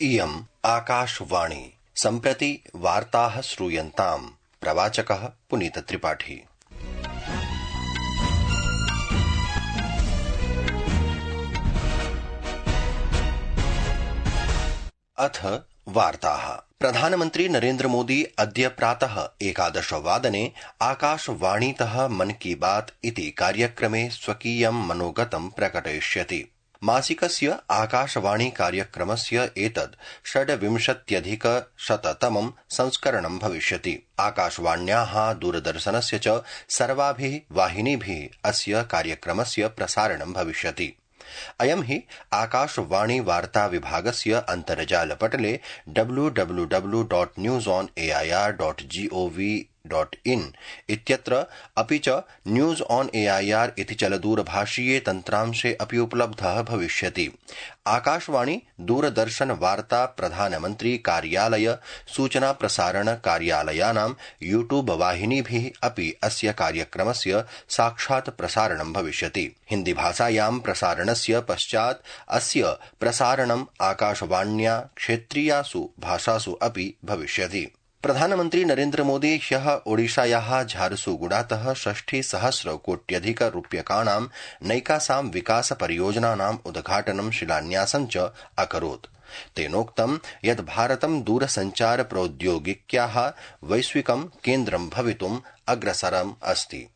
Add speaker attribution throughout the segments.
Speaker 1: इयम् आकाशवाणी। सम्प्रति वार्ताः श्रूयन्ताम्। प्रवाचकः पुनीत त्रिपाठी। अथ वार्ताः। प्रधानमन्त्री नरेन्द्र मोदी अद्य प्रातः 11 वादने आकाशवाणीतः मन की बात इति कार्यक्रमे स्वकीयं मनोगतं प्रकटयिष्यति। मासिकस्य आकाशवाणी कार्यक्रमस्य एतद् 26+100तमं संस्करणं भविष्यति। आकाशवाण्याः दूरदर्शनस्य च सर्वाभिः वाहिनीभिः अस्य कार्यक्रमस्य प्रसारणं भविष्यति। अयं हि आकाशवाणी वार्ता विभागस्य अन्तर्जालपटले www.newsonair.gov.in इत्यत्र अपि च न्यूज ऑन एआईआर इति चलदूरभाषीये तन्त्रांशे अपि उपलब्धः भविष्यति। आकाशवाणी दूरदर्शन वार्ता प्रधानमन्त्री कार्यालय सूचना प्रसारण कार्यालयानां यूट्यूब वाहिनीभिः अपि अस्य कार्यक्रमस्य साक्षात् प्रसारणं भविष्यति। हिन्दी भाषायां प्रसारणस्य पश्चात् अस्य प्रसारणम् आकाशवाण्या क्षेत्रीयासु भाषासु अपि भविष्यति। प्रधानमन्त्री नरेन्द्र मोदी ह्यः ओडिशायाः झारसुगुडातः 60,000 कोट्यधिकरूप्यकाणां नैकासां विकास परियोजनानाम् उद्घाटनं शिलान्यासं च अकरोत्। तेनोक्तं यत् भारतं दूरसञ्चार प्रौद्योगिक्याः वैश्विकं केन्द्रं भवितुम् अग्रसरम् अस्ति।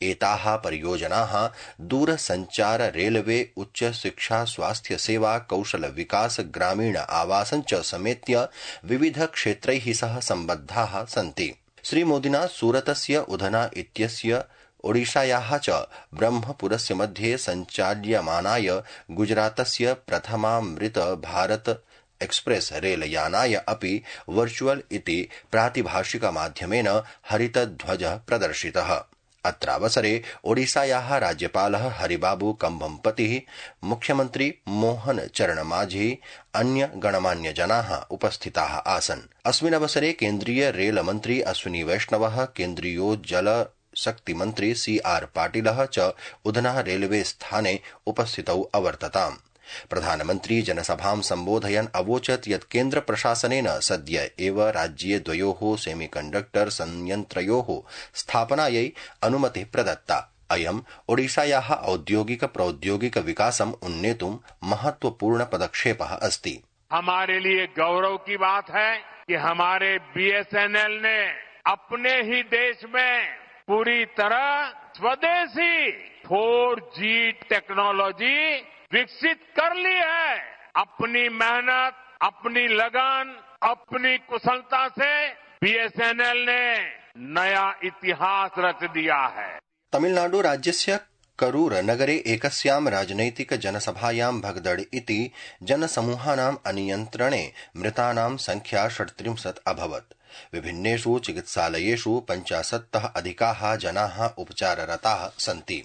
Speaker 1: एताः परियोजनाः दूरसञ्चार, रेलवे, उच्च शिक्षा, स्वास्थ्य सेवा, कौशल विकास, ग्रामीण आवासं च समेत्य विविध क्षेत्रैः सह सम्बद्धाः सन्ति। श्रीमोदिना सूरतस्य उधना इत्यस्य ओडिशायाः च ब्रह्मपुरस्य मध्ये सञ्चाल्यमानाय गुजरातस्य प्रथमामृत भारत एक्सप्रेस रेलयानाय अपि वर्चुअल इति प्रातिभाषिकमाध्यमेन हरितध्वजः प्रदर्शितः। अत्रावसरे ओडिशायाः राज्यपालः हरिबाबू कंभम्पतिः, मुख्यमन्त्री मोहन चरण माझी, अन्य गणमान्यजनाः उपस्थिताः आसन्। अस्मिन् अवसरे केन्द्रीय रेल मन्त्री अश्विनी वैष्णवः, केन्द्रीयोज्जल शक्ति मन्त्री CR पाटिलः च उधना रेलवे स्थाने उपस्थितौ अवर्तताम्। प्रधानमन्त्री जनसभां सम्बोधयन् अवोचत् यत् केन्द्र प्रशासनेन सद्य एव राज्ये द्वयोः सेमीकण्डक्टर संयन्त्रयोः स्थापनायै अनुमतिः प्रदत्ता। अयम् ओडिशायाः औद्योगिक प्रौद्योगिक विकासम् उन्नेतुं महत्वपूर्ण पदक्षेपः अस्ति।
Speaker 2: हमारे लिए गौरव की बात है कि हमारे BSNL ने अपने ही देश में पूरी तरह स्वदेशी 4G टेक्नोलॉजी विकसित कर ली है। अपनी मेहनत, अपनी लगन, अपनी कुशलता से BSNL ने नया इतिहास रच दिया है।
Speaker 1: तमिलनाडु राज्यस्य करूर नगरे एकस्यां राजनैतिक जनसभायां भगदड़ इति जनसमूहानाम् अनियन्त्रणे मृतानां संख्या 37 अभवत्। विभिन्नेषु चिकित्सालयेषु 50तः अधिकाः जनाः उपचाररताः सन्ति।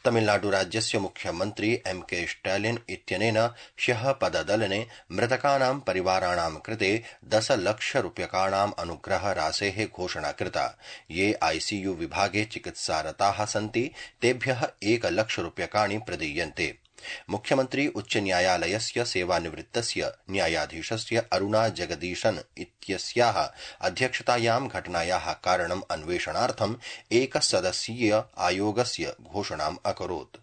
Speaker 1: तमिलनाडु राज्यस्य मुख्यमन्त्री MK स्टालिन इत्यनेन ह्यः पददलने मृतकानां परिवाराणां कृते 10 लक्षरूप्यकाणाम् अनुग्रह राशेः घोषणा कृता। ये ICU विभागे चिकित्सारताः सन्ति तेभ्यः 1 लक्षरूप्यकाणि प्रदीयन्ते। मुख्यमन्त्री उच्च न्यायालयस्य सेवानिवृत्तस्य न्यायाधीशस्य अरुणा जगदीशन इत्यस्याः अध्यक्षतायां घटनायाः कारणम् अन्वेषणार्थम् एकसदस्यीय आयोगस्य घोषणाम् अकरोत्।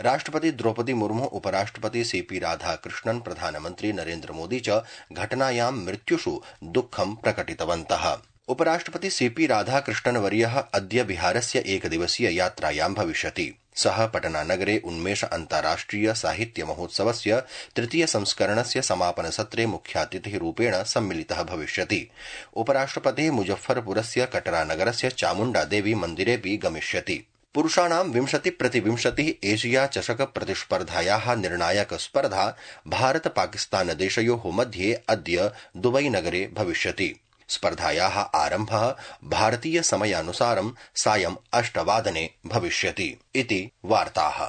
Speaker 1: राष्ट्रपति द्रौपदी मुर्मू, उपराष्ट्रपति CP राधाकृष्णन्, प्रधानमन्त्री नरेन्द्र मोदी च घटनायां मृत्युषु दुःखं प्रकटितवन्तः। उपराष्ट्रपति CP राधाकृष्णन्वर्यः अद्य बिहारस्य एकदिवसीय यात्रायां भविष्यति। सः पटनानगरे उन्मेष अन्ताराष्ट्रिय साहित्य महोत्सवस्य 3 संस्करणस्य समापनसत्रे मुख्यातिथिरूपेण सम्मिलितः भविष्यति। उपराष्ट्रपतिः मुजफ्फरपुरस्य कटरानगरस्य चामुण्डा देवी मन्दिरेऽपि गमिष्यति। पुरुषाणां 20x20 एशिया चषक प्रतिस्पर्धायाः निर्णायक स्पर्धा भारत पाकिस्तान देशयोः मध्ये अद्य दुबई नगरे भविष्यति। स्पर्धायाः आरम्भः भारतीय समयानुसारं सायं 8 वादने भविष्यति इति वार्ताः।